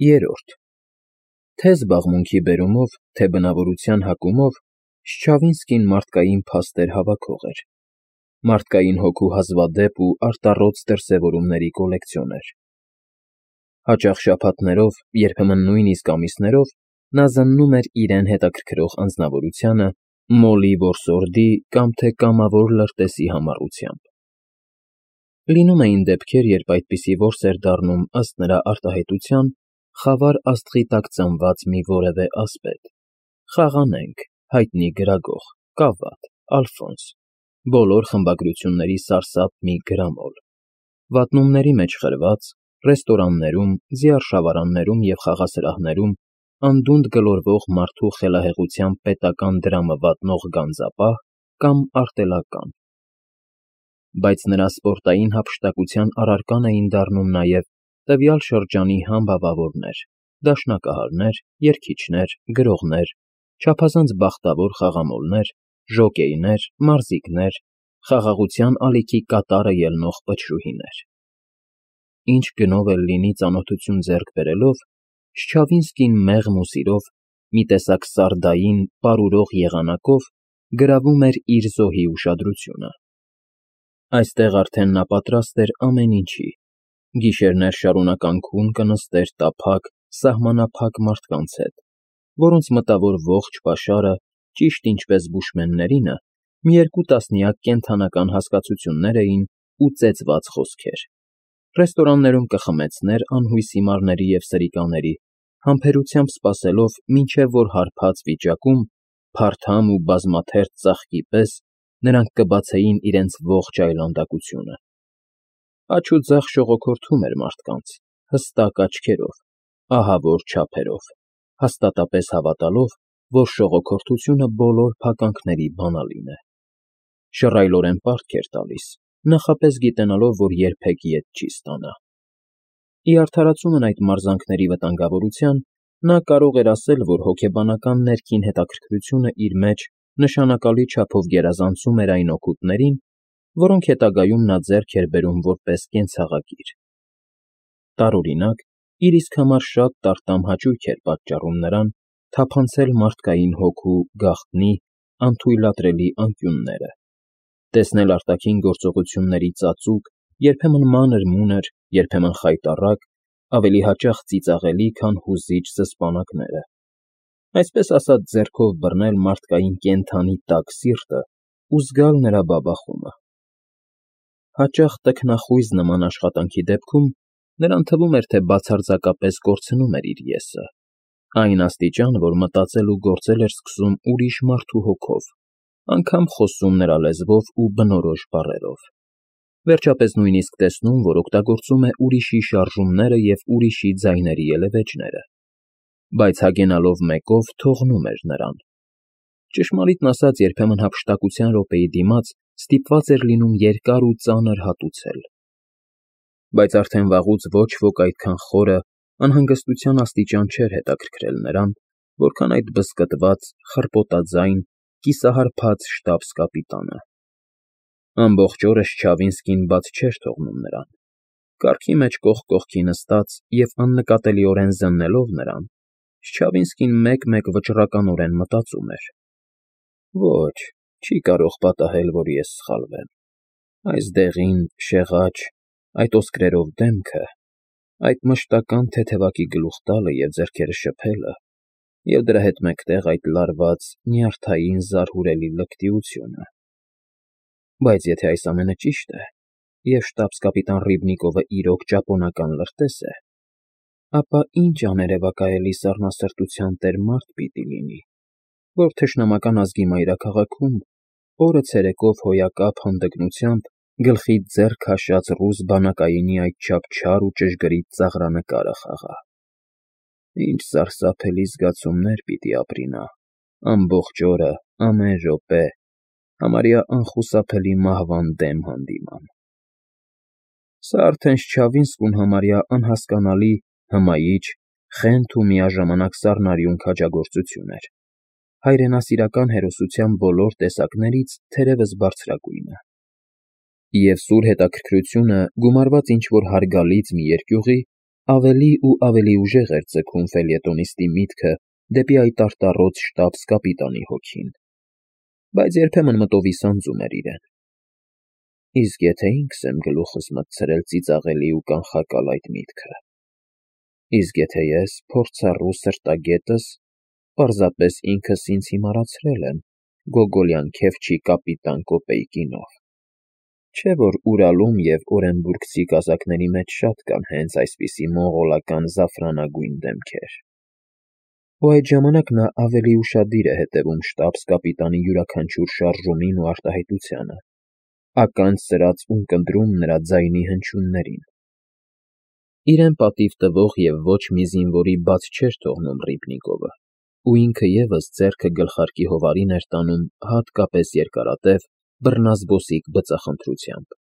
Երրորդ Թե զբաղմունքի բերումով, թե բնավորության հակումով Շչավինսկին մարդկային փաստեր հավաքող էր, մարդկային հոգու հազվադեպ ու արտառոց դրսևորումների կոլեկցիոներ։ Հաճախ շաբաթներով, երբեմն նույնիսկ ամիսներով նա զննում էր իրեն հետաքրքրող անձնավորությանը մոլի որսորդի կամ թե կամավոր լրտեսի համառությամբ։ Լինում էին դեպքեր, երբ այդպիսի որս էր դառնում, ըստ նրա արտահայտության, խավար աստղի տակ ծնված մի որևէ ասպետ՝ Խաղանենք, հայտնի գրագող, Կավատ, Ալֆոնս, բոլոր խմբագրությունների սարսափ մի գրամոլ, վատնումների մեջ խրված, ռեստորաններում, զիարշավարաններում և խաղասրահներում անդունդ գլորվող մարդու խելահեղության պետական դրամը վատնող գանձապահ կամ արտելական։ Բայց նրա սպորտային հափշտակության առարկան էին դառնում նաև տվյալ շրջանի համբավավորներ, դաշնակահարներ, երգիչներ, գրողներ, չափազանց բախտավոր խաղամոլներ, ժոկեյներ, մարզիկներ, խաղաղության ալիքի կատարը ելնող պտշուհիներ։ Ինչ գնով էլ լինի ծանոթություն ձեռք բերելով, Շչավինսկին մեղմ ու սիրով, մի տեսակ սարդային, պարուրող եղանակով գրավում էր իր զոհի ուշադրությունը։ Այստեղ արդեն նա պատրաստ էր ամեն ինչի, գիշերներ շարունակ կնստեր տափակ, սահմանափակ մարդկանց հետ, որոնց մտավոր ողջ պաշարը, ճիշտ ինչպես բուշմեններինը, մի երկու տասնյակ կենդանական հասկացություններ էին ու ծեծված խոսքեր։ Ռեստորաններում կխմեցներ անհույս հիմարների և սրիկաների, համբերությամբ սպասելով, մինչև որ հարբած վիճակում, փարթամ ու բազմաթերթ ծաղկի պես նրանք կբացեին իրենց ողջ այլանդակությունը։ Աջ ու ձախ շողոքորթում էր մարդկանց, հստակ աչքերով, ահավոր չափերով, հաստատապես հավատալով, որ շողոքորթությունը բոլոր փականքների բանալին է։ Շռայլորեն պարտք էր տալիս, նախապես գիտենալով, որ երբեք ետ չի ստանա։ Ի արդարացումն այդ մարզանքների վտանգավորության, նա կարող էր ասել, որ հոգեբանական ներքին հետաքրքրությունը իր մեջ նշանակալի չափով գերազանցում էր այն օգուտներին, որոնք հետագայում նա ձեռք էր բերում որպես կենցաղագիր։ Տարօրինակ, իր իսկ համար շատ տարտամ հաճույք էր պատճառում նրան թափանցել մարդկային հոգու գաղտնի, անթույլատրելի անկյունները, տեսնել արտաքին գործողությունների ծածուկ, երբեմն մանր-մունր, երբեմն խայտառակ, ավելի հաճախ ծիծաղելի, քան հուզիչ զսպանակները, այսպես ասած ձեռքով բռնել մարդկային կենդանի տաք սիրտը ու զգալ նրա բաբախումը։ Հաճախ տքնախույզ նման աշխատանքի դեպքում նրան թվում էր, թե բացարձակապես կորցնում էր իր ես֊ը, այն աստիճան, որ մտածել ու գործել էր սկսում ուրիշ մարդու հոգով, անգամ խոսում նրա լեզվով ու բնորոշ բառերով, վերջապես նույնիսկ տեսնում, որ օգտագործում է ուրիշի շարժումները և ուրիշի ձայների ելևէջները, բայց հագենալով մեկով թողնում էր նրան։ Ճշմարիտն ասած, երբեմն հափշտակության րոպեի դիմաց ստիպված էր լինում երկար ու ծանր հատուցել։ Բայց արդեն վաղուց ոչ ոք այդքան խորը, անհանգստության աստիճան չէր հետաքրքրել նրան, որքան այդ բզկտված, խռպոտաձայն, կիսահարբած շտաբս֊կապիտանը։ Ամբողջ օրը Շչավինսկին բաց չէր թողնում նրան, կառքի մեջ կողք կողքի նստած և աննկատելիորեն զննելով նրան, Շչավինսկին մեկ֊մեկ վճռականորեն մտածում էր. «Ոչ, չի կարող պատահել, որ ես սխալվեմ, այս դեղին, շեղաճ, այդ ոսկրերով դեմքը, այդ մշտական թեթևակի գլուխ տալը և ձեռքերը շփելը, և դրա հետ մեկտեղ այդ լարված, նյարդային, զարհուրելի լկտիությունը։ Բայց եթե այս ամենը ճիշտ է, և շտաբս֊կապիտան Ռիբնիկովը իրոք ճապոնական լրտես է, ապա ինչ աներևակայելի սառնասրտության տեր մարդ պիտի լինի, որ թշնամական ազգի մայրաքաղաքում օրը ցերեկով հոյակապ հանդգնությամբ գլխից ձեռ քաշած ռուս բանակայինի այդչափ չար ու ճշգրիտ ծաղրանկարը խաղա։ Ինչ սարսափելի զգացումներ պիտի ապրի նա, ամբողջ օրը, ամեն րոպե, համարյա անխուսափելի մահվան դեմ հանդիման։ Սա արդեն Շչավինսկուն համարյա անհասկանալի, հմայիչ, խենթ ու միաժամանակ սառնարյուն քաջագործություն էր, հայրենասիրական հերոսության բոլոր տեսակներից թերևս բարձրագույնը։ Եվ սուր հետաքրքրությունը գումարված ինչ֊որ հարգալից մի երկյուղի Ավելի ու ավելի ուժեղ էր ձգում ֆելյետոնիստի միտքը դեպի այդ արտառոց շտաբս-կապիտանի հոգին, բայց երբեմն մտովի սանձում էր իրեն. իսկ եթե ինքս եմ գլուխս մտցրել ծիծաղելի ու կանխակալ այդ միտքը, իսկ եթե ես փորձառու սրտագետս պարզապես ինքս ինձ հիմարացրել եմ գոգոլյան քեֆչի կապիտան Կոպեյկինով, չէ՞ որ Ուրալում և օրենբուրգցի կազակների մեջ շատ կան հենց այսպիսի մոնղոլական զաֆրանագույն դեմքեր։ Ու այդ ժամանակ նա ավելի ուշադիր է հետևում շտաբս-կապիտանի յուրաքանչյուր շարժումին ու արտահայտությանը, ականջ սրած ունկնդրում նրա ձայնի հնչյուններին։ Իրեն պատիվ տվող և ոչ մի զինվորի բաց չէր թողնում Ռիբնիկովը, ու ինքը ևս ձեռքը գլխարկի հովարին էր տանում հատկապես երկարատև, բռնազբոսիկ բծախնդրությամբ։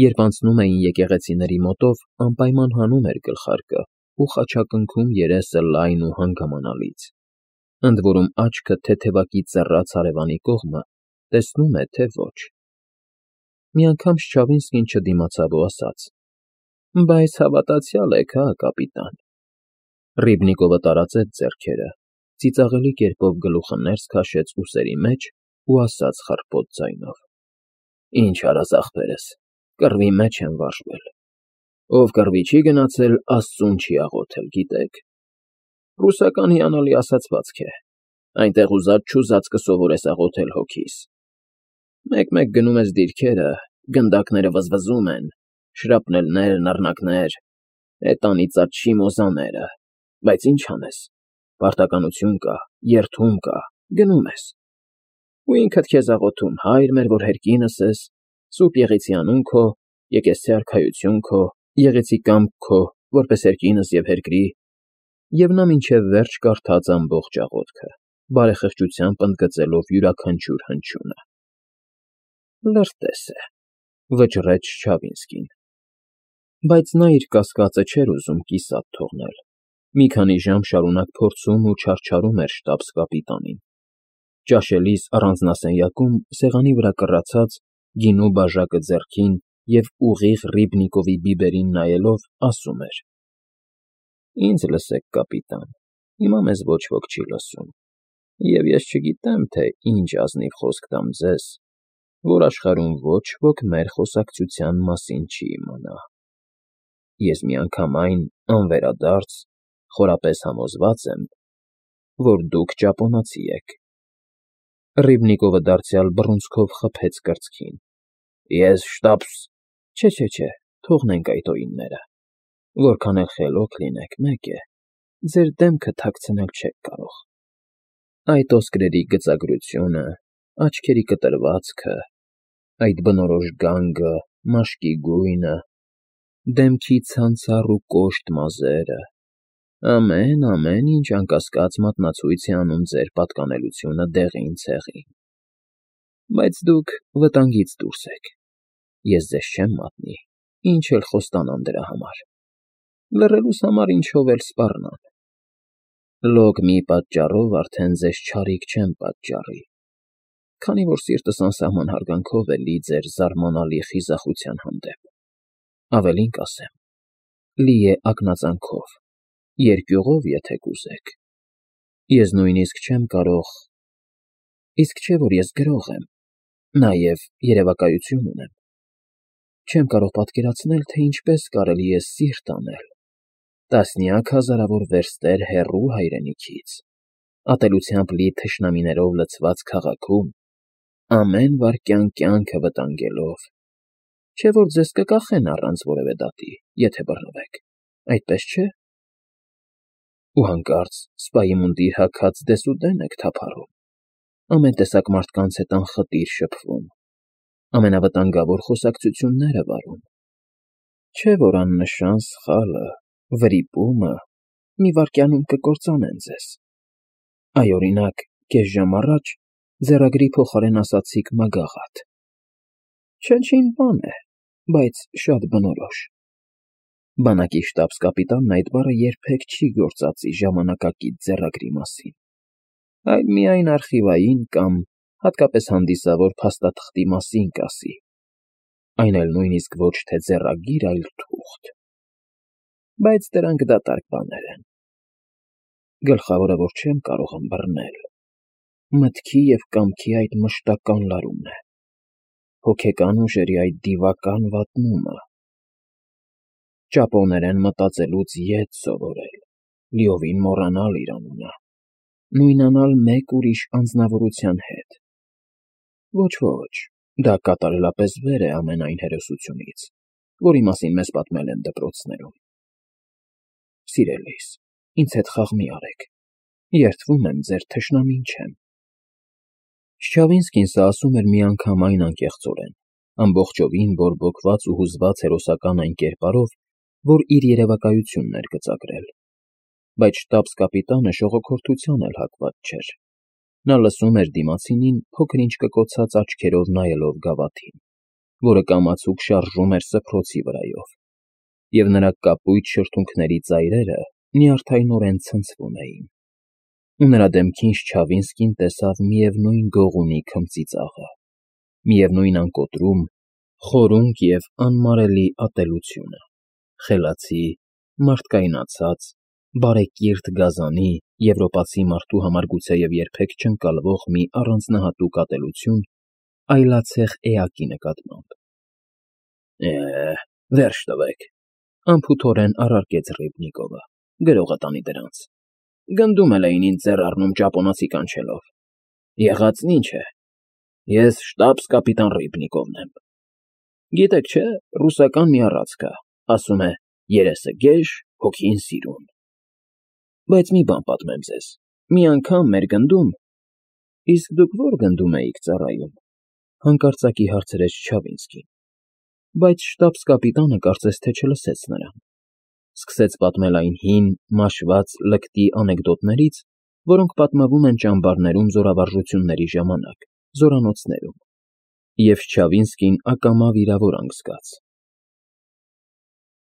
Երբ անցնում էին եկեղեցիների մոտով, անպայման հանում էր գլխարկը ու խաչակնքում երեսը լայն ու հանգամանալից, ընդ որում աչքը թեթևակի ծեռած հարևանի կողմը տեսնում է, թե ոչ։ Մի անգամ Շչավինսկին չդիմացավ ու ասաց. «Բայց հավատացյալ եք, հա, կապիտան»։ Ռիբնիկովը տարածեց ձեռքերը, ծիծաղելի կերպով գլուխը ներս քաշեց ուսերի մեջ ու ասաց խռպոտ ձայնով. «Ինչ արած ախպերս, կռվի մեջ եմ վարժվել։ Ով կռվի չի գնացել, Աստծուն չի աղոթել, գիտեք։ Ռուսական հիանալի ասացվածք է. այնտեղ ուզած-չուզած կսովորես աղոթել հոգիս։ Մեկ-մեկ գնում ես դիրքերը, գնդակները վզվզում են, շրապնելներ, նռնակներ, էդ անիծած շիմոզաները, բայց ինչ անես, պարտականություն կա, երդում կա, գնում ես։ Ու ինքդ քեզ աղոթում, Հայր մեր, որ հերկինս ես, Սուրբ Եղիցիանուն քո, եկեղեցի արքայություն քո, եղեցի կամք քո, որպես հերկինս և հերկրի, և նա մինչև վերջ կարդաց ամբողջ աղոթքը, բարեխղճությամբ ընդգծելով յուրաքանչյուր հնչյունը։ Լրտես է, վճռեց Չչավինսկին։ Բայց նա իր կասկածը չէր ուզում կիսատ թողնել։ Մի քանի ժամ շարունակ փորձում ու չարչարում էր շտաբս-կապիտանին։ Ճաշելիս առանձնասենյակում, սեղանի վրա կռացած, գինու բաժակը ձեռքին և ուղիղ Ռիբնիկովի բիբերին նայելով, ասում էր. «Ինձ լսեք, կապիտան, հիմա մեզ ոչ ոք չի լսում, և ես չգիտեմ, թե ինչ ազնիվ խոսք տամ ձեզ, որ աշխարհում ոչ ոք մեր խոսակցության մասին չի իմանա։ Ես միանգամայն անվերադարձ, խորապես համոզված եմ, որ դուք ճապոնացի եք»։ Ռիբնիկովը դարձյալ բռունցքով խփեց կրծքին։ Ես շտաբս… Չէ, թողնենք այդ օինները։ Որքան էլ խելոք լինեք, մեկ է, ձեր դեմքը թաքցնել չեք կարող։ Այդ ոսկրերի գծագրությունը, աչքերի կտրվածքը, այդ բնորոշ գանգը, մաշկի գույնը, դեմքի ցանցառ ու կոշտ մազերը… Ամեն ինչ անկասկած մատնացույց է անում ձեր պատկանելությունը դեղին֊ցեղին։ Բայց դուք վտանգից դուրս եք։ Ես ձեզ չեմ մատնի, ինչ էլ խոստանամ դրա համար։ Լռելուս համար ինչով էլ սպառնան։ Լոկ մի պատճառով արդեն ձեզ չարիք չեմ պատճառի, քանի որ սիրտս անսահման հարգանքով է լի ձեր զարմանալի խիզախության հանդեպ։ Ավելին կասեմ, լի է ակնածանքով, երկյուղով, եթե կուզեք։ Ես նույնիսկ չեմ կարող… Իսկ չէ՞ որ ես գրող եմ, նաև երևակայություն ունեմ։ Չեմ կարող պատկերացնել, թե ինչպես կարելի է սիրտ անել տասնյակ հազարավոր վերստեր հեռու հայրենիքից, ատելությամբ լի թշնամիներով լցված քաղաքում, ամեն վայրկյան կյանքը վտանգելով, չէ՞ որ ձեզ կկախեն առանց որևէ դատի, եթե բռնվեք, այդպես չէ՞։ Ու հանկարծ սպայի մունդիր հագած դեսուդեն եք թափառում, ամեն տեսակ մարդկանց հետ անխտիր շփվում, ամենավտանգավոր խոսակցությունները վարում, չէ՞ որ աննշան սխալը, վրիպումը մի վայրկյանում կկործանեն ձեզ։ Այ, օրինակ, կես ժամ առաջ ձեռագրի փոխարեն ասացիք մագաղաթ։ Չնչին բան է, բայց շատ բնորոշ։ Բանակի շտաբս֊կապիտանն այդ բառը երբեք չի գործածի ժամանակակից ձեռագրի մասին, այլ միայն արխիվային կամ հատկապես հանդիսավոր փաստաթղթի մասին կասի, այն էլ նույնիսկ ոչ թե ձեռագիր, այլ թուղթ։ Բայց դրանք դատարկ բաներ են։ Գլխավորը, որ չեմ կարող ըմբռնել, մտքի և կամքի այդ մշտական լարումն է, հոգեկան ուժերի այդ դիվական վատնումը, ճապոներեն մտածելուց ետ սովորել, լիովին մոռանալ իր անունը, նույնանալ մեկ ուրիշ անձնավորության հետ։ Ոչ, դա կատարելապես վեր է ամեն այն հերոսությունից, որի մասին մեզ պատմել են դպրոցներում։ Սիրելիս, ինձ հետ խաղ մի արեք, երդվում եմ, ձեր թշնամին չեմ։ Չչավինսկին սա ասում էր միանգամայն անկեղծորեն, ամբողջովին բորբոքված ու հուզված հերոսական այն կերպարով, որ իր երևակայությունն էր գծագրել։ Բայց շտաբս֊կապիտանը շողոքորթության էլ հակված չէր։ Նա լսում էր դիմացինին փոքր-ինչ կկոցած աչքերով նայելով գավաթին, որը կամացուկ շարժում էր սփռոցի վրայով, և նրա կապույտ շրթունքների ծայրերը նյարդայնորեն ցնցվում էին, ու նրա դեմքին Չչավինսկին տեսավ միևնույն գողունի քմծիծաղը, միևնույն անկոտրում, խորունկ և անմարելի ատելությունը, խելացի, մարդկայնացած, բարեկիրթ գազանի, եվրոպացի մարդու համար գուցեև երբեք չընկալվող մի առանձնահատուկ ատելություն այլացեղ էակի նկատմամբ։ Վերջ տվեք, անփութորեն առարկեց Ռիբնիկովը, գրողը տանի դրանց։ Գնդում էլ էին ինձ ձեռ առնում ճապոնացի կանչելով։ Եղածն ինչ է, ես շտաբս֊կապիտան Ռիբնիկովն եմ։ Գիտեք չէ, ռուսական մի առածք կա, ասում է. երեսը գեշ, հոգին սիրուն։ Բայց մի բան պատմեմ ձեզ, մի անգամ մեր գնդում… Իսկ դուք ո՞ր գնդում էիք ծառայում, հանկարծակի հարցրեց Չչավինսկին, բայց շտաբս֊կապիտանը կարծես թե չլսեց նրան, սկսեց պատմել այն հին, մաշված լկտի անեկդոտներից, որոնք պատմվում են ճամբարներում զորավարժությունների ժամանակ, զորանոցներում, և Չչավինսկին ակամա վիրավորանք զգաց։